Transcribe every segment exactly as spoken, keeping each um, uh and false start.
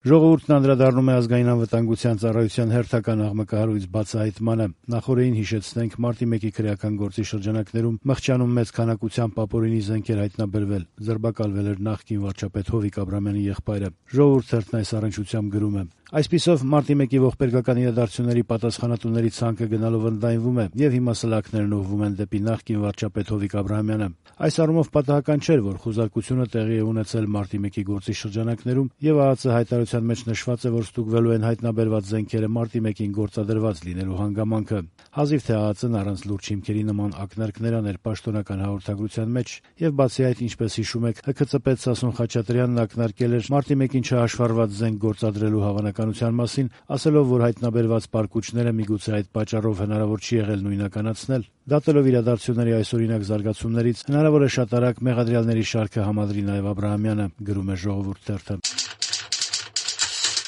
Ժողովուրդն անդրադառնում է ազգային անվտանգության ծառայության հերթական աղմկահարույց բացահայտմանը։ Նախորդին հիշեցնենք, մարտի մեկի քրեական գործի շրջանակներում Մղճանում մեծ քանակությամբ ապօրինի զենքեր հայտնաբերվել, ձերբակալվել էր նախկին վարչապետ Հովիկ Աբրահամյանի եղբայրը։ Ժողովուրդ թերթն այս առնչությամբ գրում է. Այսպիսով մարտի մեկի ողբերգական իրադարձությունների պատասխանատուների ցանկը գնալով ընդլայնվում է, եւ հիմա սլաքներն ուղղվում են դեպի նախկին վարչապետ Հովիկ Աբրահամյանը։ Այս առումով պատահական չէր, որ խուզարկությունը տեղի է ունեցել մարտի մեկի գործի շրջանակներում, եւ ԱԱԾ հայտարարության մեջ նշված է, որ ստուգվելու են հայտնաբերված զենքերը մարտի մեկին գործադրված լինելու հանգամանքը։ Հազիվ թե ԱԱԾ-ն առանց լուրջ հիմքերի նման ակնարկներ աներ պաշտոնական հաղորդագրության մեջ, եւ բացի այդ, ինչպես հիշում եք, ՀՔԾ պետ Սասուն Խաչատրյանն ակնարկել էր մարտի մեկին չհաշվառված զենք գործադրելու հավանականության մասին, ասելով, որ հայտնաբերված պարկուճները միգուցե այդ պատճառով հնարավոր չի եղել նույնականացնել։ Դատելով իրադարձությունների այսօրինակ զարգացումներից, հնարավոր է շատ արագ մեղադրյալների շարքը համադրի նաև Աբրահամյանը, գրում է Ժողովուրդ թերթը։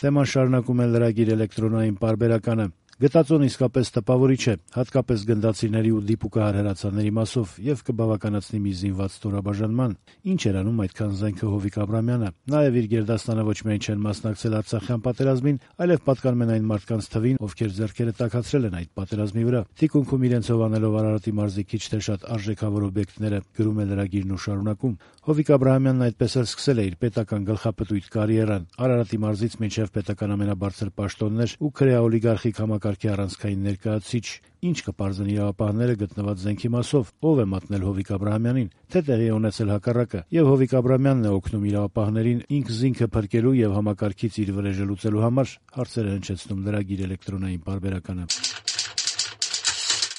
Թեման շարունակում է լրագիր էլեկտրոնային պարբերականը։ Գտածոն իսկապես տպավորիչ է, հատկապես գնդացիների ու դիպուկահար հրացանների մասով, եւ կբավականացնի մի զինված ստորաբաժանման։ Ինչ էր անում այդքան զենքը Հովիկ Աբրահամյանը։ Նաեւ իր գերդաստանը ոչ միայն չեն մասնակցել Արցախյան պատերազմին, այլև պատկանում են այն մարդկանց թվին, ովքեր ձեռքերը տաքացրել են այդ պատերազմի վրա, թիկունքում իրենցով անելով Արարատի մարզի քիչ թե շատ արժեքավոր օբյեկտները, գրում է լրագիրն ու շարունակում։ Հովիկ Աբրահամյանն այդպես էլ սկսել է իր պետական գլխապտույտ կարիերան, Արարատի մարզից մինչև պետական ամենաբարձր պաշտոններ ու քրեաօլիգարխիկ համակարգի առանցքային ներկայացուցիչ։ Ինչ կպարզեն իրավապահները գտնված զենքի մասով, ով է մատնել Հովիկ Աբրահամյանին, թե տեղի է ունեցել հակառակը, եւ Հովիկ Աբրահամյանն է օգնում իրավապահներին ինքն զինքը փրկելու եւ համակարգից իր վրեժը լուծելու համար, հարցերը հնչեցնում լրագիր էլեկտրոնային պարբերականը։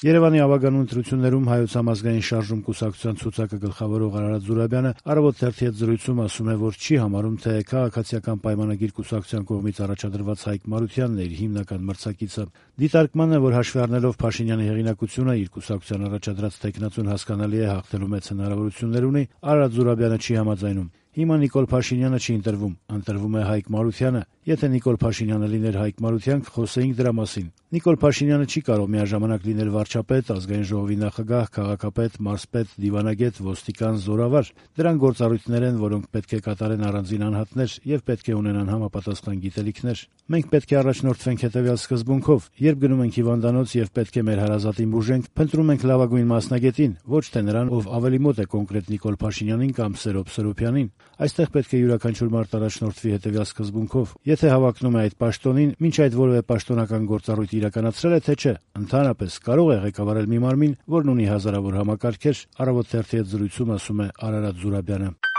Երևանի ավագանու ընտրություններում Հայոց համազգային շարժում կուսակցության ցուցակը գլխավորող Արարատ Զուրաբյանը Առավոտ թերթի հետ զրույցում ասում է, որ չի համարում, թե քաղաքացիական պայմանագիր կուսակցության կողմից առաջադրված Հայկ Մարությանն է իր հիմնական մրցակիցը։ Դիտարկման է, որ հաշվի առնելով Փաշինյանի հեղինակությունը իր կուսակցության առաջադրած տեխնացուն հասկանալի է հաղթելու մեծ հնարավորություններ ունի, Արարատ Զուրաբյանը չի համաձայնում։ Հիմա Նիկոլ Փաշինյանը չի ընտրվում, ընտրվում է Հայկ Մարությանը։ Եթե Նիկոլ Փաշինյանը լիներ Հայկ Մարության, կխոսեինք դրա մասին։ Նիկոլ Փաշինյանը չի կարող միաժամանակ լինել վարչապետ, ազգային ժողովի նախագահ, քաղաքապետ, մարզպետ, դիվանագետ, ոստիկան, զորավար։ Դրանք գործառույթներ են, որոնք պետք է կատարեն առանձին անհատներ եւ պետք է ունենան համապատասխան գիտելիքներ։ Մենք պետք է առաջնորդվենք հետեւյալ սկզբունքով. երբ գնում ենք հիվանդանոց եւ պետք է մեր հարազատին բուժենք, փնտրում ենք լավագույն մասնագետին, ոչ թե նրան, ով ավելի մոտ է կոնկրետ Նիկոլ Փաշինյանին կամ Սերոբ Սրոփյանին։ Այստեղ պետք է յուրաքանչյուր մարդ առաջնորդվի հետեւյալ սկզբունքով. եթե հավակնում է այդ պաշտոնին, մինչ այդ որևէ պաշտոնական գործառույթ իրականացրել է, թե չէ, ընդհանրապես կարող է ղեկավարել մի մարմին, որն ունի հազարավոր համակարգեր, Առավոտ թերթի հետ զրույցում ասում է Արարատ Զուրաբյանը։